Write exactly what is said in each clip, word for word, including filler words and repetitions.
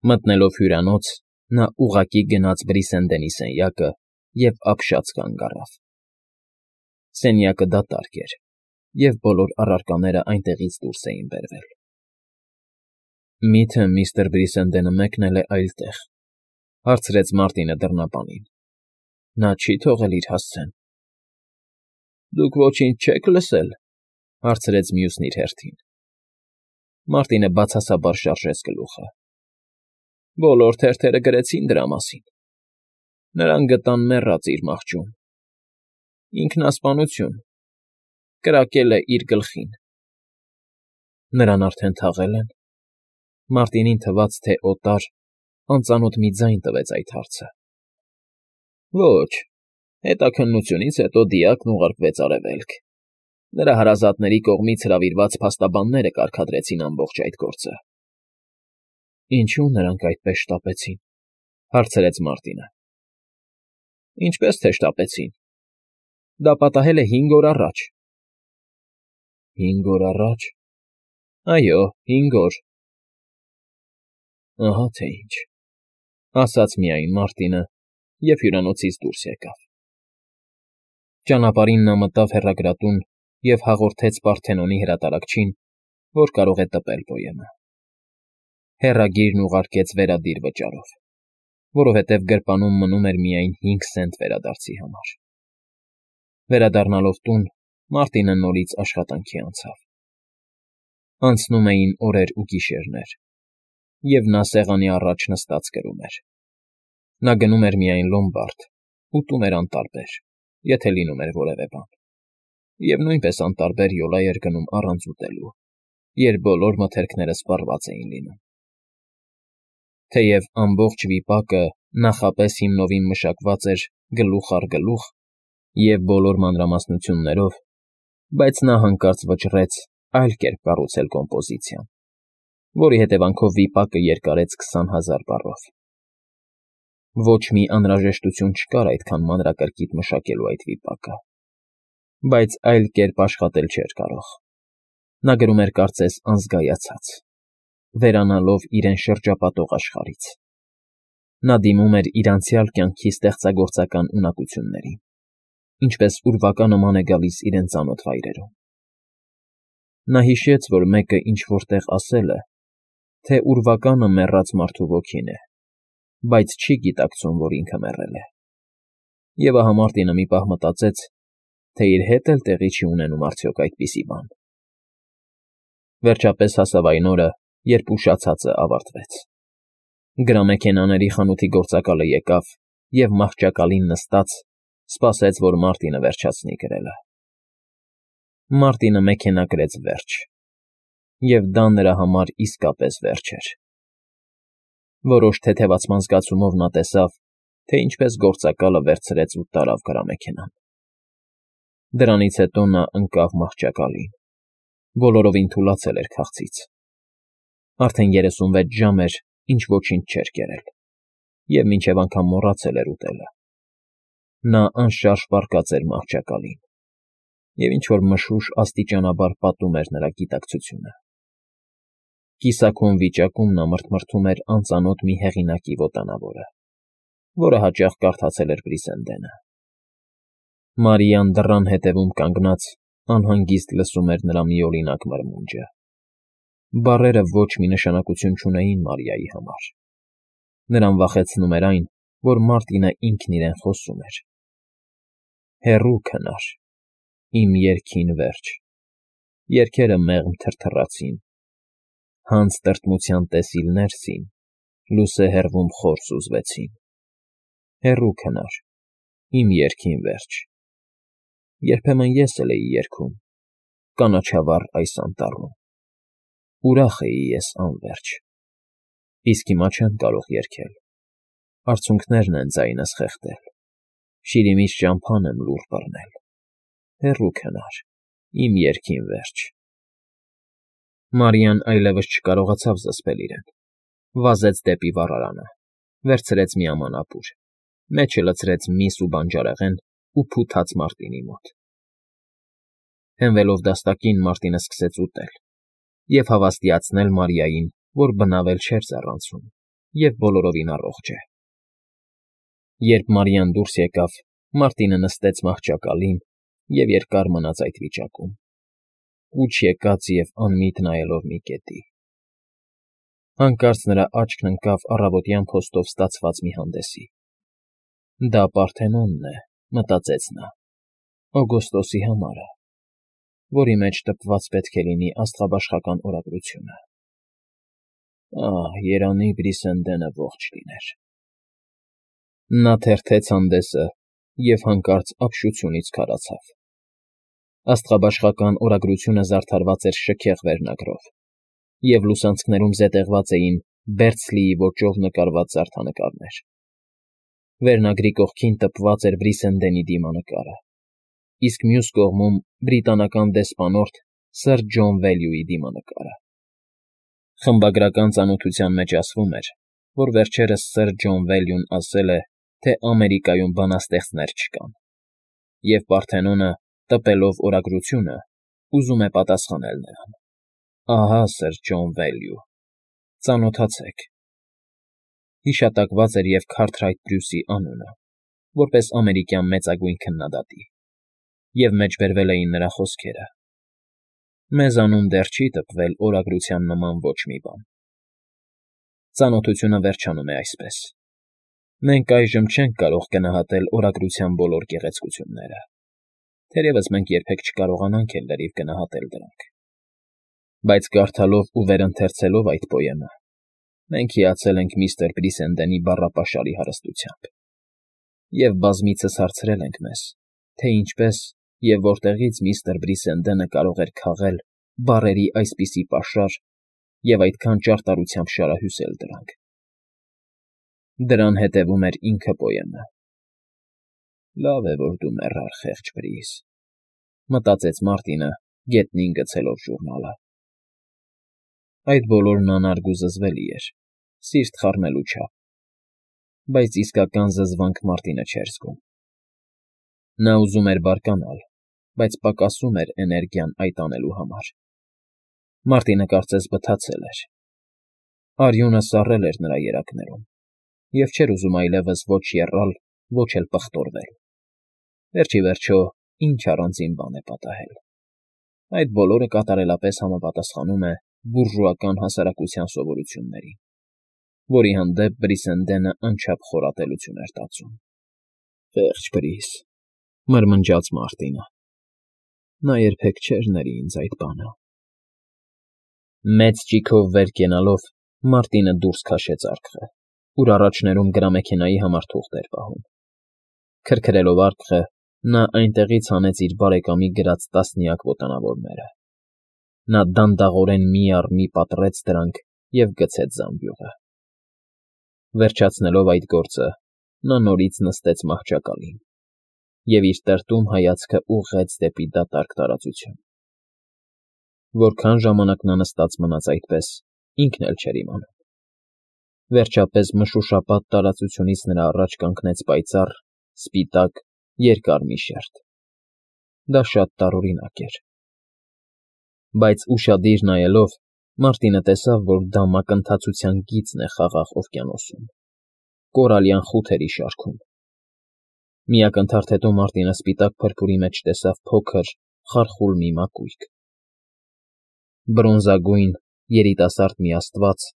Մտնելով հյուրանոց, նա ուղղակի գնաց Բրիսենդենի սենյակը և ապշած կանգ առավ. սենյակը դատարկ էր, և բոլոր առարկաներն այնտեղից դուրս էին բերվել։ ֊ Մի՞թե միստր Բրիսենդենը մեկնել է այլտեղ,֊ հարցրեց Մարտինը դռնապանին։֊ Նա չի՞ թողել իր հասցեն։ ֊ Դուք ոչինչ չե՞ք լսել,֊ հարցրեց մյուսն իր հերթին։ Մարտինը բացասաբար շարժեց գլուխը։ ֊ Բոլոր թերթերը գրեցին դրա մասին։ Նրան գտան մեռած իր մահճում։ Ինքնասպանություն, կրակել է իր գլխին։ ֊ Նրան արդեն թաղե՞լ են։ Մարտինին թվաց, թե օտար, անծանոթ մի ձայն տվեց այդ հարցը։ ֊ Ոչ, հետաքննությունից հետո դիակն ուղարկվեց արևելք։ Նրա հարազատների կողմից հրավիրված փաստաբանները կարգադրեցին ամբողջ այդ գործը։ ֊ Ինչո՞ւ նրանք այդպես շտապեցին,֊ հարցրեց Մարտինը։ ֊ Ինչպես թե շտապեցին։ Դա պատահել է հինգ օր առաջ։ ֊ Հինգ օր առաջ… Այո, հինգ օր… Ահա թե ինչ,֊ ասաց միայն Մարտինը և հյուրանոցից դուրս եկավ։ Ճանապարհին նա մտավ հեռագրատուն և հաղորդեց Պարթենոնի հրատարակչին, որ կարող է տպել պոեմը։ Հեռագիրն ուղարկեց վերադիր վճարով, որովհետև գրպանում մնում էր միայն հինգ սենտ վերադարձի համար։ Վերադառնալով տուն՝ Մարտինը նորից աշխատանքի անցավ։ Անցնում էին օրեր ու գիշերներ, և նա սեղանի առաջ նստած գրում էր։ Նա գնում էր միայն լոմբարդ, ուտում էր անտարբեր, եթե լինում էր որևէ բան, և նույնպես անտարբեր յոլա էր գնում առանց ուտելու, երբ բոլոր մթերքները սպառված էին լինում։ Թեև ամբողջ վիպակը նախապես հիմնովին մշակված էր գլուխ առ գլուխ և բոլոր մանրամասնություններով, բայց նա հանկարծ վճռեց այլ կերպ կառուցել կոմպոզիցիան, որի հետևանքով վիպակը երկարեց քսան հազար բառով։ Ոչ մի անհրաժեշտություն չկար այդքան մանրակրկիտ մշակելու այդ վիպակը, բայց այլ կերպ աշխատել չէր կարող։ Նա գրում էր կարծես անզգայացած, վերանալով իրեն շրջապատող աշխարհից։ Նա դիմում էր իր անցյալ կյանքի ստեղծագործական ունակություններին, ինչպես ուրվակա նման է գալիս իրեն ծանոթ վայրերում։ Նա հիշեց, որ մեկը ինչ֊որ տեղ ասել է, թե ուրվականը մեռած մարդու ոգին է, բայց չի գիտակցում, որ ինքը մեռել է։ Եվ ահա Մարտինը մի պահ մտածեց, թե իր հետ էլ տեղի չի ունենում արդյոք այդպիսի բան։ Վերջապես հասավ այն օրը, երբ ուշացածը ավարտվեց։ Գրամեքենաների խանութի գործակալը եկավ և մահճակալին նստած սպասեց, որ Մարտինը վերջացնի գրելը։ Մարտինը մեքենա գրեց վերջ, և դա նրա համար իսկապես վերջ էր։ Որոշ թեթևացման զգացումով նա տեսավ, թե ինչպես գործակալը վերցրեց ու տարավ գրամեքենան։ Դրանից հետո նա ընկավ մահճակալին, բոլորովին թուլացել էր քաղցից։ Արդեն երեսունվեց ժամ էր, ինչ ոչինչ չէր կերել, և մինչև անգամ մոռացել էր ուտելը։ Նա անշարժ պառկած էր մահճակալին, և ինչ֊որ մշուշ աստիճանաբար պատում էր նրա գիտակցությունը։ Կիսաքուն վիճակում նա մռթմռթում էր անծանոթ մի հեղինակի ոտանավորը, որը հաճախ կարդացել էր Բրիսենդենը։ Մարիան դռան ետևում կանգնած անհանգիստ լսում էր նրա միօրինակ մրմունջը։ Բառերը ոչ մի նշանակություն չունեին Մարիայի համար։ Նրան վախեցնում էր այն, որ Մարտինը ինքն իրեն խոսում էր. «Հեռու քնար, իմ երգին վերջ, երգերը մեղմ թրթռացին, հանց տրտմության տեսիլներ սին, լուսե հեռվում խոր սուզվեցին։ Հեռու քնար, իմ երգին վերջ։ Երբեմն ես էլ էի երգում, կանաչավառ այս անտառում, ուրախ էի ես անվերջ, իսկ հիմա չեմ կարող երգել, արցունքներն են ձայնս խեղդել, շիրիմից ճամփան եմ լուռ բռնել։ Հեռու քնար, իմ երգին վերջ»։ Մարիան այլևս չկարողացավ զսպել իրեն, վազեց դեպի վառարանը, վերցրեց մի ամանապուր, մեջը լցրեց միս ու բանջարեղեն ու փութաց Մարտինի մոտ։ Հենվելով դաստակին՝ Մարտինը սկսեց ուտել և հավաստիացնել Մարիային, որ բնավ էլ չէր ձեռացնում, և բոլորովին առողջ է։ Երբ Մարիան դուրս եկավ, Մարտինը նստեց մահճակալին և երկար մնաց այդ վիճակում, կուչ եկած և անմիտ նայելով մի կետի։ Հանկարծ նրա աչքն ընկավ առավոտյան փոստով ստացված մի հանդեսի։ «Դա Պարթենոնն է,֊ մտածեց նա,֊ օգոստոսի համարը, որի մեջ տպված պետք է լինի աստղաբաշխական օրագրությունը։ Ահ, երանի Բրիսենդենը ողջ լիներ»։ Նա թերթեց հանդեսը և հանկարծ ապշությունից քարացավ։ Աստղաբաշխական օրագրությունը զարդարված էր շքեղ վերնագրով, և լուսանցքներում զետեղված էին Բերցլիի ոճով նկարված զարդանկարներ։ Վերնագրի կողքին տպված էր Բրիսենդենի դիմանկարը, իսկ մյուս կողմում բրիտանական դեսպանորդ Սըր Ջոն Վելյուի դիմանկարը։ Խմբագրական ծանոթության մեջ ասվում էր, որ վերջերս Սըր Ջոն Վելյուն ասել է, թե Ամերիկայում բանաստեղծներ չկան, և Պարթենոնը, տպելով օրագրությունը, ուզում է պատասխանել նրան. «Ահա, Սըր Ջոն Վելյու, ծանոթացեք»։ Հիշատակված էր և Քարթրայթ Բրյուսի անունը, որպես ամերիկյան մեծագույն քննադատի, և մեջբերվել էին նրա խոսքերը. «Մեզանում դեռ չի տպվել օրագրության նման ոչ մի բան»։ Ծանոթությունը վերջանում է այսպես. «Մենք այժմ չենք կարող գնահատել օրագրության բոլոր գեղեցկությունները, թերևս մենք երբեք չկարողանանք էլ լրիվ գնահատել դրանք, բայց կարդալով ու վերընթերցելով այդ պոեմը, մենք հիացել ենք միստր Բրիսենդենի բառապաշարի հարստությամբ, և բազմիցս հարցրել ենք մեզ, թե ինչպես և որտեղից միստր Բրիսենդենը կարող էր քաղել բառերի այսպիսի պաշար և այդքան ճարտարությամբ շարահյուսել դրանք։ Դրան հետևում էր ինքը պոեմը։ «Լավ է, որ դու մեռար, խեղճ Բրիս,֊ մտածեց Մարտինը՝ գետնին գցելով ժուրնալը։ Այդ բոլորն անարգ ու զզվելի էր, սիրտ խառնելու չափ, բայց իսկական զզվանք Մարտինը չէր զգում։ Նա ուզում էր բարկանալ, բայց պակասում էր էներգիան այդ անելու համար։ Մարտինը կարծես բթացել էր։ Արյունը սառել էր նրա երակներում, և չէր ուզում այլևս ոչ եռալ, ոչ էլ պղտորվել։ Վերջ ի վերջո, ինչ առանձին բան է պատահել։ Այդ բոլորը կատարելապես համապատասխանում է բուրժուական հասարակության սովորություններին, որի հանդեպ Բրիսենդենը անչափ խորատելություն էր տածում։ «Խեղճ Բրիս,֊ մրմնջաց Մարտինը,֊ նա երբեք չէր ների ինձ այդ բանը»։ Մեծ ճիգով վեր կենալով Մարտինը դուրս քաշեց արկղը, ուր առաջներում գրամեքենայի համար թուղթ էր պահում։ Քրքրելով արկղը՝ նա այնտեղից հանեց իր բարեկամի գրած տասնյակ ոտանավորները։ Նա դանդաղորեն մի առ մի պատռեց դրանք և գցեց զամբյուղը։ Վերջացնելով այդ գործը՝ նա նորից նստեց մահճակալին և իր տրտում հայացքը ուղղեց դեպի դատարկ տարածություն։ Որքան ժամանակ նա նստած մնաց այդպես, ինքն էլ չէր իմանում։ Վերջապես մշուշապատ տարածությունից նրա առաջ կանգնեց պայծառ, սպիտակ, երկար մի շերտ։ Դա շատ տարօրինակ էր։ Բայց ուշադիր նայելով՝ Մարտինը տեսավ, որ դա մակընթացության գիծն է Խաղաղ օվկիանոսում, կորալյան խութերի շարքում։ Մի ակնթարթ հետո Մարտինը սպիտակ փրփուրի մեջ տեսավ փոքր, խարխուլ մի մակույկ։ Բրոնզագույն, երիտասարդ մի աստված,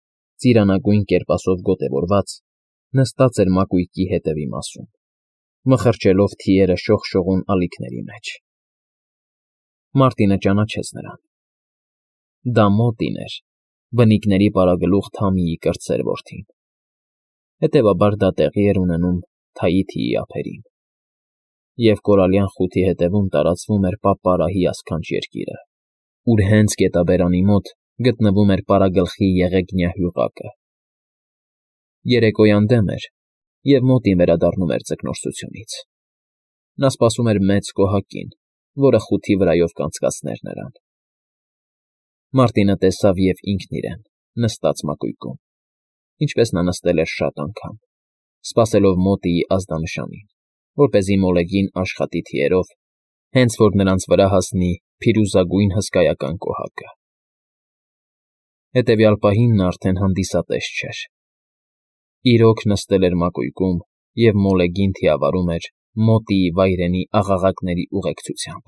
ծիրանագույն կերպասով գոտևորված, նստած էր մակույկի հետևի մասում, մխրճելով թիերը շողշողուն ալիքների մեջ։ Մարտինը ճանաչեց նրան։ Դա Մոտին էր, բնիկների պարագլուխ Թամիի կրտսեր որդին։ Հետևաբար դա տեղի էր ունենում Թաիթիի ափերին, և կորալյան խութի հետևում տարածվում էր պապարահի ասքանչ երկիրը, ուր հենց գետաբերանի մոտ գտնվում էր պարագլխի եղեգնյա հյուղակը։ Երեկոյան դեմ էր, և Մոտին վերադառնում էր ձկնորսությունից։ Նա սպասում էր մեծ կոհակին, որը խութի վրայով կանցկացներ նրան։ Մարտինը տեսավ և ինքն իրեն՝ նստած մակույկում, ինչպես նա նստել էր շատ անգամ, սպասելով Մոտիի ազդանշանին, որպեսզի մոլեգին աշխատի թիերով, հենց որ նրանց վրա հասնի փիրուզագույն հսկայական կոհակը։ Հետևյալ պահին նա արդեն հանդիսատես չէր։ Իրոք նստել էր մակույկում և մոլեգին թիավարում էր մոտիի վայրենի աղաղակների ուղեկցությամբ։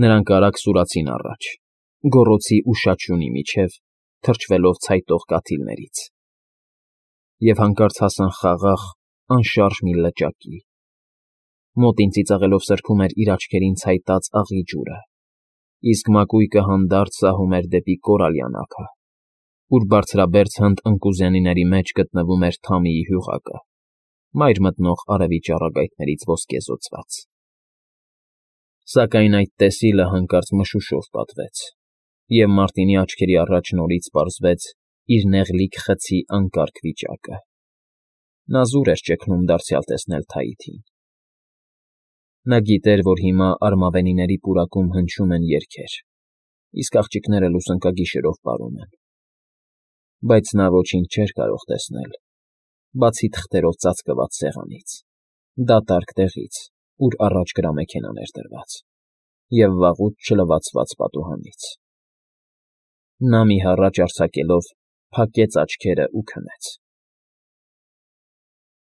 Նրանք արագ սուրացին առաջ, գոռոցի ու շաչյունի միջև, թրջվելով ցայտող կաթիլներից, և հանկարծ հասան խաղաղ, անշարժ մի լճակի։ Մոտին ծիծաղելով սրբում էր իր աչքերին ցայտած աղի ջուրը, իսկ մակույկը հանդարտ սահում էր դեպի կորալյան ափը, ուր բարձրաբերձ հնդ ընկուզենիների մեջ գտնվում էր թամիի հյուղակը, մայր մտնող արևի ճառագայթներից ոսկեզօծված։ Սակայն այդ տեսիլը հանկարծ մշուշով պատվեց, և Մարտինի աչքերի առաջ նորից պարզվեց իր նեղլիկ խցի անկարգ վիճակը։ Նա զուր էր ճգնում դարձյալ տեսնել Թայիթին։ Նա գիտեր, որ հիմա արմավենիների պուրակում հնչում են երգեր, իսկ աղջիկները լուսանկագիշերով պարում են, բայց նա ոչինչ չէր կարող տեսնել, բացի թղթերով ծածկված սեղանից, դատարկ տեղից, ուր առաջ գրամեքենան էր դրված, և վաղուց չլվացված պատուհանից։ Նա մի հառաչ արձակելով փակեց աչքերն ու քնեց։